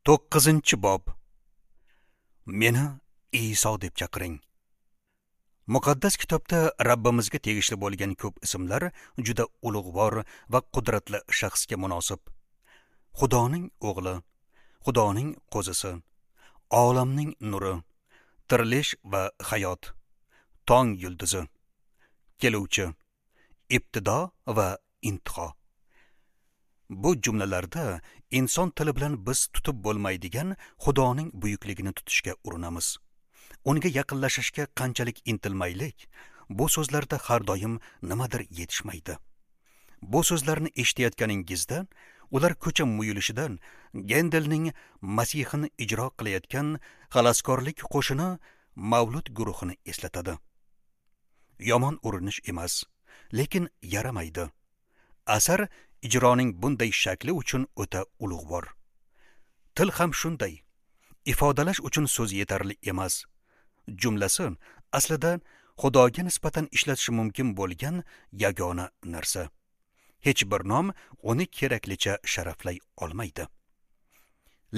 9-bob. Meni Iso deb chaqiring. Muqaddas kitobda Rabbimizga tegishli bo'lgan ko'p ismlar juda ulug'vor va qudratli shaxsga munosib. Xudoning o'g'li, Xudoning qo'zisi, olamning nuri, tirilish va hayot, tong yulduzi, keluvchi, ibtido va intiho. Bu jumlalarda inson tili bilan biz tutib bo'lmaydigan Xudoning buyukligini tutishga urinamiz. Unga yaqinlashishga qanchalik intilmaylik, bu so'zlarda har doim nimadir yetishmaydi. Bu so'zlarni eshitayotganingizda, ular ko'cha muyulishidan Gendelning Masihini ijro qilayotgan xaloskorlik qo'shini Mavlud guruhini eslatadi. Yomon urinish emas, lekin yaramaydi. Asar ijroning bunday shakli uchun o'ta ulug'vor. Til ham shunday. Ifodalash uchun so'z yetarli emas. Jumlasi aslida Xudoga nisbatan ishlatish mumkin bo'lgan yagona narsa. Hech bir nom uni keraklicha sharaflay olmaydi.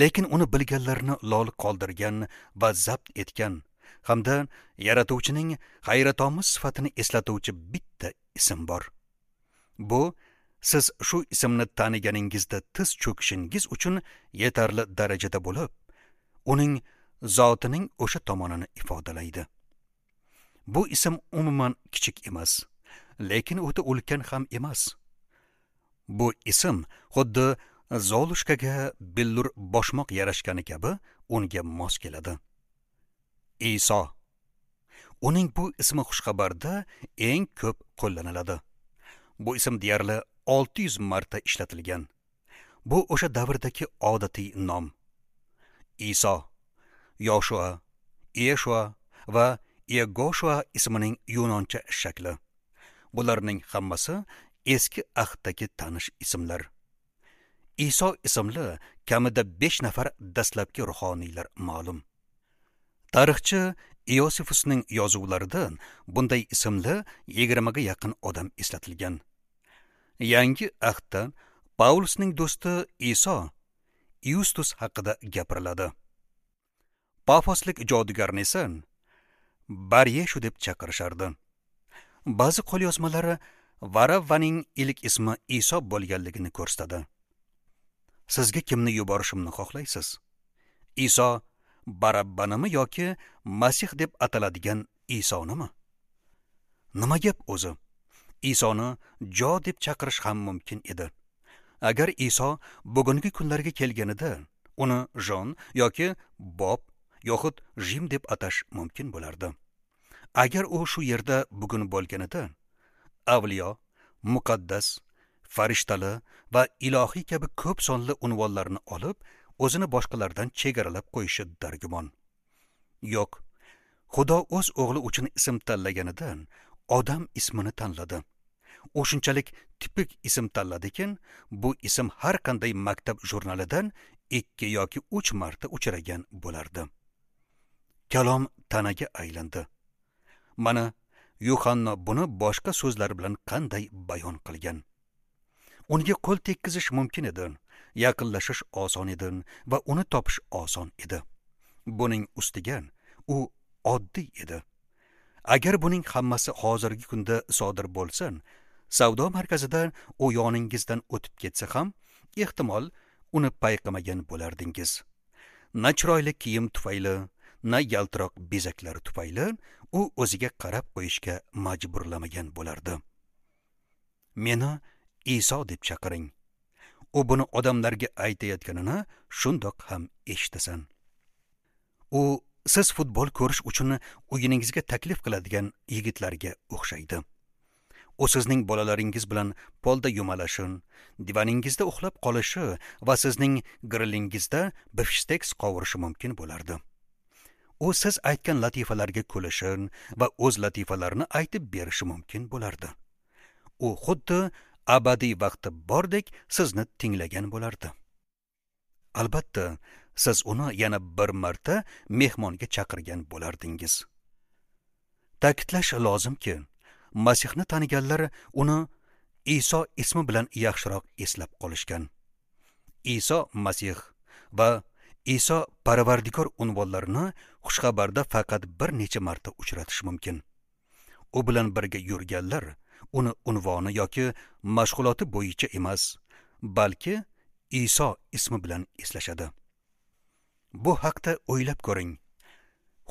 Lekin uni bilganlarni lol qoldirgan va zabt etgan hamda yaratuvchining hayratomuz sifatini eslatuvchi bitta ism bor. Bu siz shu ismni taniganingizda tiz cho'kishingiz uchun yetarli darajada bo'lib, uning zotining o'sha tomonini ifodalaydi. Bu ism umuman kichik emas, lekin o'ta ulkan ham emas. Bu ism xuddi Zolushkaga billur boshmoq yarashgani kabi unga mos keladi. Iso. Uning bu ismi xushxabarda eng ko'p qo'llaniladi. Bu ism deyarli 600 marta ishlatilgan. Bu o'sha davrdagi odatiy nom. Iso, Yoshua, Yeshua va Yegoshua ismining yunoncha shakli. Bularning hammasi eski ahddagi tanish ismlar. Iso ismli kamida 5 nafar dastlabki ruhoniylar ma'lum. Tarixchi Iosifusning yozuvlarida bunday ismli 20 ga yaqin odam eslatilgan. Yangi ahdda Paulusning do'sti Iso Yustus haqida gapiriladi. Pafoslik jodugarni esa Baryeshu deb chaqirishardi. Ba'zi qo'lyozmalari Varavvaning ilk ismi Iso bo'lganligini ko'rsatadi. Sizga kimni yuborishimni xohlaysiz? Iso Barabbanimi yoki Masih deb ataladigan Isonimi? Nima gap o'zi? Isoni Jo deb chaqirish ham mumkin edi. Agar Iso bugungi kunlarga kelganida, uni Jon yoki Bob yoxud Jim deb atash mumkin bo'lardi. Agar u shu yerda bugun bo'lganida, avliyo, muqaddas, farishtali va ilohiy kabi ko'p sonli unvonlarni olib, o'zini boshqalardan chegaralab qo'yishi dargumon. Yo'q, Xudo o'z o'g'li uchun ism tanlaganidan odam ismini tanladi. U shunchalik tipik ism tanladikin, bu ism har qanday maktab jurnalidan 2 yoki 3 marta uchragan bo'lardi. Kalom tanaga aylandi. Mana Yuhanna buni boshqa so'zlar bilan qanday bayon qilgan. Unga qo'l tekkizish mumkin edi, yaqinlashish oson edi va uni topish oson edi. Buning ustiga u oddiy edi. Agar buning hammasi hozirgi kunda sodir bo'lsa, savdo markazida u yoningizdan o'tib ketsa ham, ehtimol uni payqamagan bo'lardingiz. Na chiroyli kiyim tufayli, na yaltiroq bezaklar tufayli u o'ziga qarab qo'yishga majburlamagan bo'lardi. Meni Iso deb chaqiring. U buni odamlarga aytayotganini shundoq ham eshitasan. U siz futbol ko'rish uchun uyingizga taklif qiladigan yigitlarga o'xshaydi. U sizning bolalaringiz bilan polda yumalashin, divaningizda uxlab qolishi va sizning grillingizda bifshteks qovurishi mumkin bo'lardi. U siz aytgan latifalarga kulishi va o'z latifalarini aytib berishi mumkin bo'lardi. U xuddi abadiy vaqti bordek sizni tinglagan bo'lardi. Albatta, siz uni yana bir marta mehmonga chaqirgan bo'lardingiz. Ta'kidlash lozimki, Masihni taniganlar uni Iso ismi bilan yaxshiroq eslab qolishgan. Iso Masih va Iso Parvardigor unvonlarini xushxabarda faqat bir necha marta uchratish mumkin. U bilan birga yurganlar uni unvoni yoki mashg'uloti bo'yicha emas, balki Iso ismi bilan eslashadi. Bu haqda o'ylab ko'ring.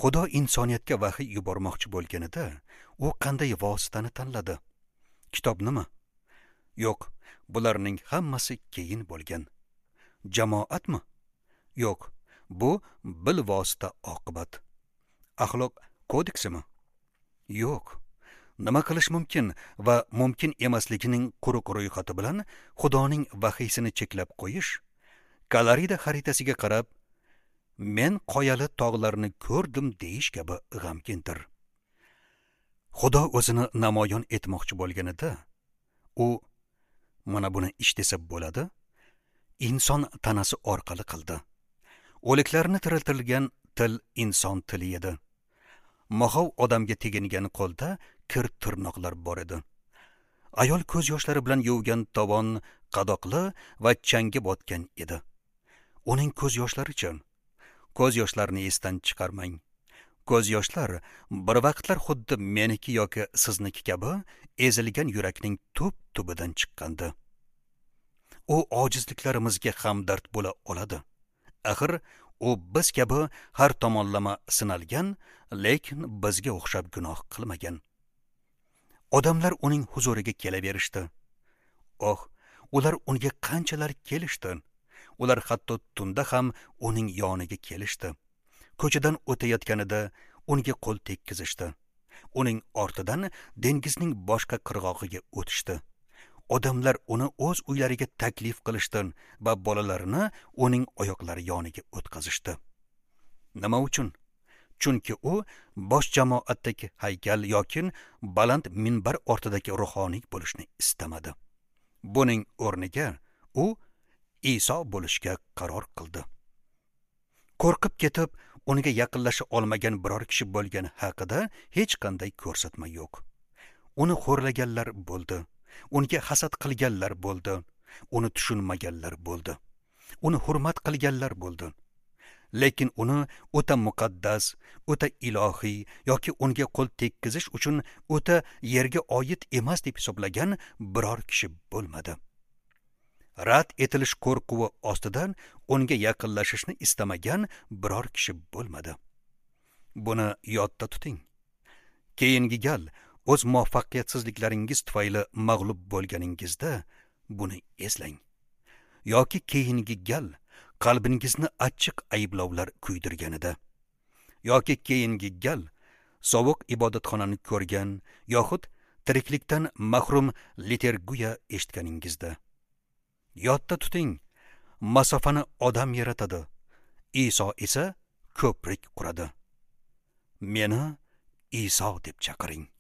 Xudo insoniyatga vahiy yubormoqchi bo'lganida, u qanday vositani tanladi? Kitobnimi? Yo'q, bularning hammasi keyin bo'lgan. Jamoatmi? Yo'q, bu bilvosita oqibat. Axloq kodeksimi? Yo'q. Nima qilish mumkin va mumkin emasligining quruq ro'yxati bilan Xudoning vahiysini cheklab qo'yish, Kalarida xaritasiga qarab, men qoyali tog'larni ko'rdim deyish kabi g'amgindir. Xudo o'zini namoyon etmoqchi bo'lganida, u mana buni ish desa bo'ladi, inson tanasi orqali qildi. O'liklarni tiriltirgan til inson tili edi. Moxov odamga tegingan qo'lda kir tirnoqlar bor edi. Ayol ko'z yoshlari bilan yuvgan tovon qadoqli va changga botgan edi. Uning ko'z yoshlaricha, ko'z yoshlarini esdan chiqarmang. Ko'z yoshlar bir vaqtlar xuddi meniki yoki sizniki kabi ezilgan yurakning tub tubidan chiqqandi. U ojizliklarimizga hamdard bo'la oladi. Axir u biz kabi har tomonlama sinalgan, lekin bizga o'xshab gunoh qilmagan. Odamlar uning huzuriga kelaverishdi. Oh, ular unga qanchalar kelishdi. Ular hatto tunda ham uning yoniga kelishdi. Ko'chadan o'tayotganida unga qo'l tekkizishdi. Uning ortidan dengizning boshqa qirg'og'iga o'tishdi. Odamlar uni o'z uylariga taklif qilishdi va bolalarini uning oyoqlari yoniga o'tkazishdi. Nima uchun? Chunki u bosh jamoatdagi haykal yoki baland minbar ortidagi ruhoniy bo'lishni istamadi. Buning o'rniga u Iso bo'lishga qaror qildi. Qo'rqib ketib, unga yaqinlasha olmagan biror kishi bo'lgani haqida hech qanday ko'rsatma yo'q. Uni xo'rlaganlar bo'ldi, unga hasad qilganlar bo'ldi, uni tushunmaganlar bo'ldi, uni hurmat qilganlar bo'ldi. Lekin uni o'ta muqaddas, o'ta ilohiy yoki unga qo'l tekkizish uchun o'ta yerga oid emas deb hisoblagan biror kishi bo'lmadi. Rad etilish qo'rquvi ostidan unga yaqinlashishni istamagan biror kishi bo'lmadi. Buni yodda tuting. Keyingi gal o'z muvaffaqiyatsizliklaringiz tufayli mag'lub bo'lganingizda buni eslang. Yoki keyingi gal qalbingizni achchiq ayblovlar kuydirganida, yoki keyingi gal sovuq ibodatxonani ko'rgan yoxud tiriklikdan mahrum liturgiya eshitganingizda. Yodda tuting, masofani odam yaratadi, Iso esa ko'prik quradi. Meni Iso deb chaqiring.